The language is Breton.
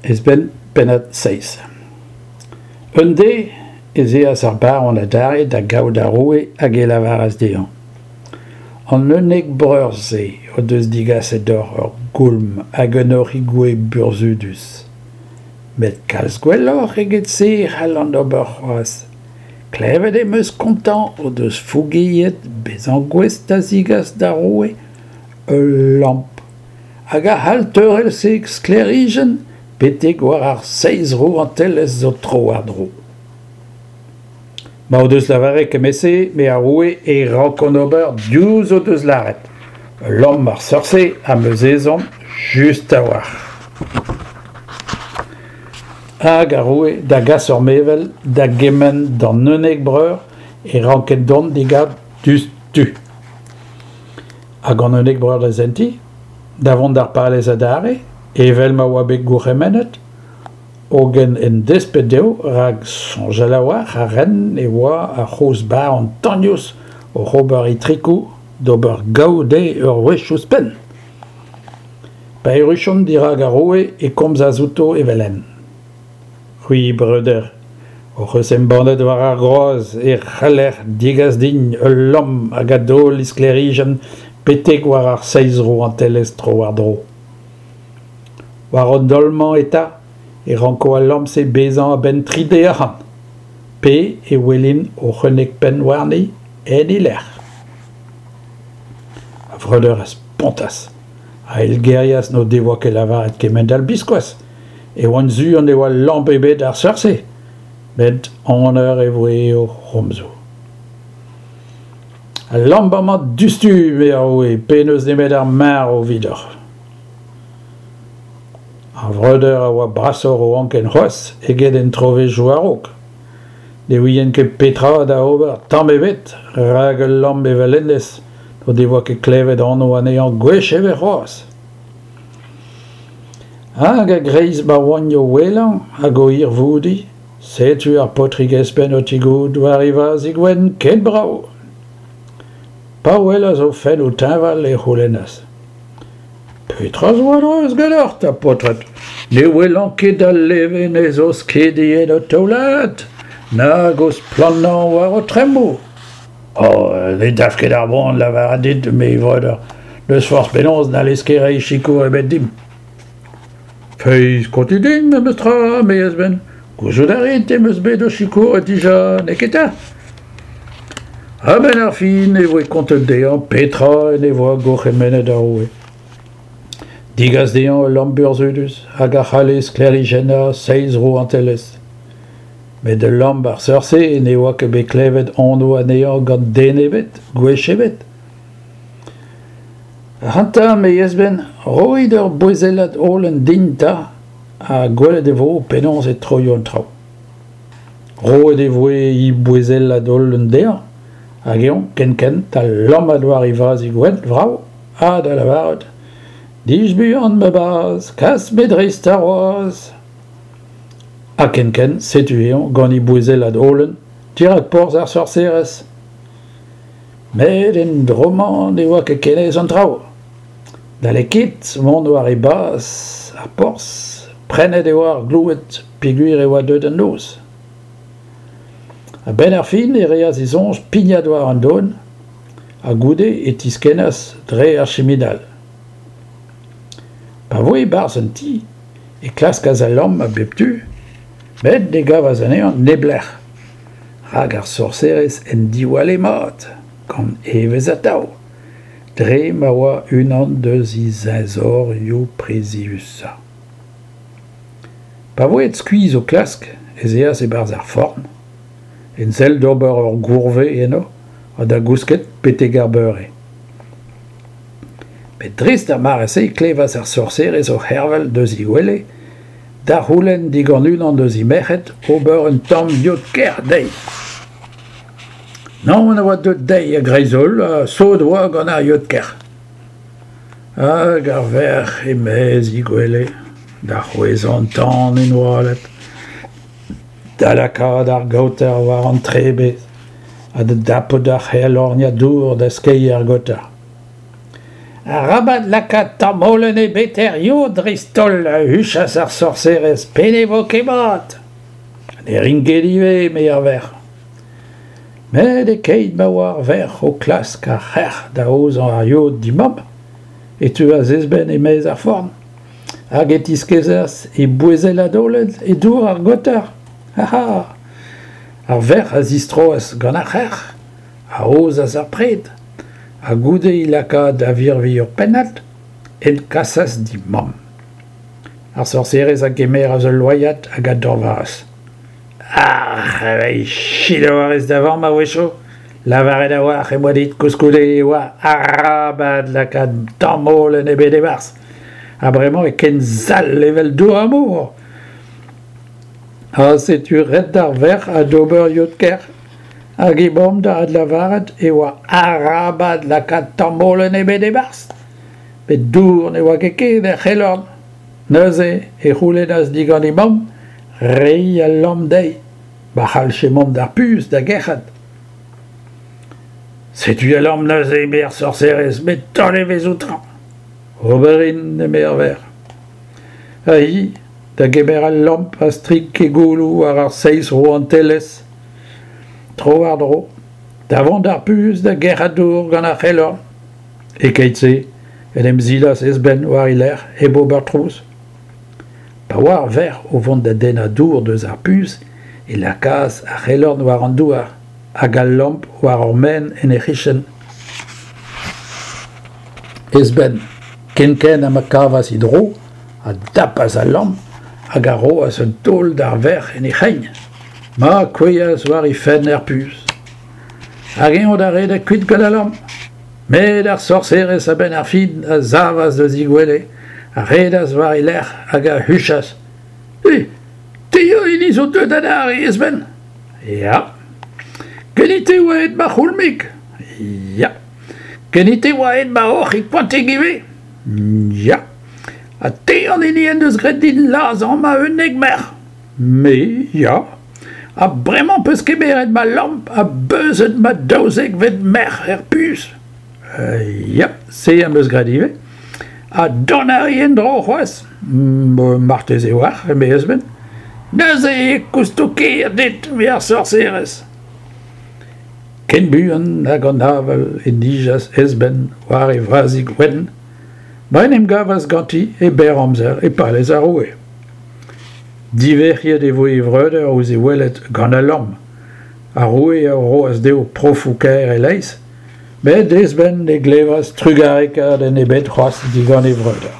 Esben, pennad 7. Un deiz ez eas ar baron adarre da gaout ar roue hag e lavaras dezhañ An 11 breur-se o deus digaset deoc'h ur goulm hag un hoc'hig-gouez burzhudus. Met kalz gwelloc'h eget se e c'hallan ober c'hoazh. Klevet em eus kontañ o deus fougeet bezañ gouest da zigas d'ar roue ul lamp hag a c'hall teurel he sklêrijenn betek war ar seizh rouantelezh zo tro-war-dro. Ma o deus lavaret kement-se, me ar roue, e rankont ober diouzh o deus lâret. Ul lamp ar seurt-se am eus ezhomm just a-walc'h. Hag ar roue da gas ur mevel da gemenn d'an 11 breur e rankent dont d'e gaout diouzhtu. Hag an 11 breur da sentiñ, da vont d'ar palez adarre, evel ma oa bet gourc'hemennet, hogen en desped dezho, rak soñjal a-walc'h a raent e oa ar c'hozh baron tagnous oc'h ober itrikoù d'ober gaou dezhe ur wech ouzhpenn. Pa erruchont dirak ar roue e komzas outo evel-henn. C'hwi, breuder, hoc'h eus embannet war ar groaz e c'haller degas din ul lamm hag a daol e sklêrijenn betek war ar seizh rouantelezh tro-war-dro. War an daol-mañ eta e ranko al lamm-se bezañ a-benn tri deiz ac'hann, pe e welin hoc'h 11 penn warni en he lec'h. Ar vreudeur a spontas, a eilgerias n'o devoa ket lavaret kement-all biskoazh. E oan sur ne oa lamp ebet ar seurt-se, met aner e voe o c'homzoù. Al lamp amañ diouzhtu, eme ar roue, pe n'eus nemet ar marv evidoc'h. Ar vreudeur a oa brasoc'h o anken c'hoazh eget en trovezhioù a-raok. Ne ouient ket petra da ober tamm ebet, rak ul lamp evel hennezh n'o devoa ket klevet anv anezhañ gwech ebet c'hoazh. Hag a-greiz ma oant o ouelañ hag o hirvoudiñ, setu ar paotrig espenn o tigouzout war e vazhig wenn ken brav. Pa welas o fennoù teñval e c'houlennas: Petra zo a-dreuz ganeoc'h 'ta, paotred? Ne welan ket al levenez o skediñ en ho taoulagad, nag o splannañ war ho tremmoù. Oh, ne dalv ket ar boan lavaret dit, eme e vreudeur, n'eus forzh penaos n'hallez ket reiñ sikour ebet dimp. Feiz, kontit din memes tra, eme Esben. Gouzout a rit em eus bet ho sikouret dija, n'eo ket 'ta? A-benn ar fin e voe kontet dezhañ petra en devoa gourc'hemennet ar roue. Degas dezhañ ul lamp burzhudus hag a c'halle sklêrijennañ seizh rouantelezh. Met ul lamp ar seurt-se ne oa ket bet klevet anv anezhañ gant den ebet, gwech ebet. Ac'hanta, me Yezben, roit ur bouezellad holen din 'ta, ha gwelet e vo penaos e troio an traoù. Roet e voe he bouezellad holen dezhañ, hag eñ kenkent da lammat war e vazhig wenn vrav ha da lavaret Dij buan, ma bazh, kas me dreist ar wazh. Ha kenkent setu eñ gant e bouezellad holen dirak porzh ar sorserez. Met en dro-mañ ne oa ket ken aes an traoù. N'halle ket mont war e bas ar porzh, prennet e oa ar gloued peogwir e oa deuet an noz. A-benn ar fin e reas e soñj pignat war an don ha goude e tiskennas dre ar chiminal. Pa voe e-barzh an ti e klaskas al lamm a bep tu, met ne gavas anezhañ neblec'h, rak ar sorserez en diwalle mat, gant evezh atav, dre ma oa unan eus he zeñzorioù priziusañ. Pa voe skuizh o klask ez eas e-barzh ar forn, en sell d'ober ur gourvez eno ha da gousket betek ar beure. Met dreist d'ar mare-se e klevas ar sorserez o c'hervel deus he gwele da c'houlenn digant unan eus he merc'hed ober un tamm yod-kerc'h dezhi. Naon a oa deuet dezhi a-greiz-holl ha sot oa gant ar yod-kerc'h. Hag ar verc'h e-maez he gwele da c'hwezhañ an tan en oaled, da lakaat ar gaoter war an trebez ha da dapout ar c'helorniad dour da skeiñ er gaoter. Arabat lakaat tamm holen ebet er yod dreist-holl, a huchas ar sorserez, pe ne vo ket mat. Ne rin ket ivez, eme ar verc'h. Met e-keit ma oa ar verc'h o klask ar c'herc'h da aozañ ar yod d'he mamm, e teuas Esben e-maez ar forn, hag e tiskezas e bouezellad holen e dour ar gaoter. Ha Ar verc'h a zistroas gant ar c'herc'h, a aozas ar pred, ha goude he lakaat da virviñ ur pennad, en kasas d'he mamm. Ar sorserez a gemeras ul loaiad hag a dañvaas. Arre, selaou a rez da vamm a-wechoù. Lavaret a-walc'h em boa dit koulskoude e oa arabat lakaat tamm holen ebet e-barzh. Ha bremañ eo ken sall evel dour ar mor. Ha setu ret d'ar verc'h adober yod-kerc'h. Hag he mamm da adlavaret e oa arabat lakaat tamm holen ebet e-barzh. Met dour ne oa ket ken er c'helorn. Neuze e c'houlennas digant he mamm reiñ al lamp dezhi, ma c'hallje mont d'ar puñs da gerc'hat. Setu al lamp neuze, eme ar sorserez, met taol evezh outañ. Ober int, eme ar verc'h. Ha hi da gemer al lamp a strik he gouloù war ar seizh rouantelezh tro-war-dro, da vont d'ar puñs da gerc'hat dour gant ar c'helorn. E-keit-se en em silas Esben war he lerc'h hep ober trouz. Pa oa ar verc'h o vont da dennañ dour deus ar puñs e lakaas ar c'helorn war an douar hag al lamp war ur maen en he c'hichen. Esben, kenkent ha ma kavas e dro, a dapas al lamp hag a roas un taol d'ar verc'h en he c'hein. Ma kouezhas war he fenn er puñs. Hag eñ da redek kuit gant al lamp. Met ar sorserez a-benn ar fin a savas eus he gwele, a redas war he lerc'h hag a huchas "Eh, te eo hini zo deuet adarre, Esben?" "Ya." "Ganit e oa aet ma c'houlmig?" "Ya." "Ganit e oa aet ma hoc'hig koantig ivez?" "Ya." "Ha te an hini en deus graet din lazhañ ma unnek merc'h?" "Me, ya." Ha bremañ 'peus kemeret ma lamp ha beuzet ma daouzekvet merc'h er puñs. Ya, se am eus graet ivez. Ha dont a ri en-dro c'hoazh? Marteze 'oar, eme Esben. Neuze e kousto ker dit, eme ar sorserez. Ken buan hag an avel e nijas Esben war e vazhig wenn, ma en em gavas ganti e berr amzer e palez ar roue. Divec'hiet e voe e vreudeur ouzh e welet gant al lamm. Ar roue a roas dezho profoù kaer e-leizh, met Esben ne glevas trugarekadenn ebet c'hoazh digant e vreudeur.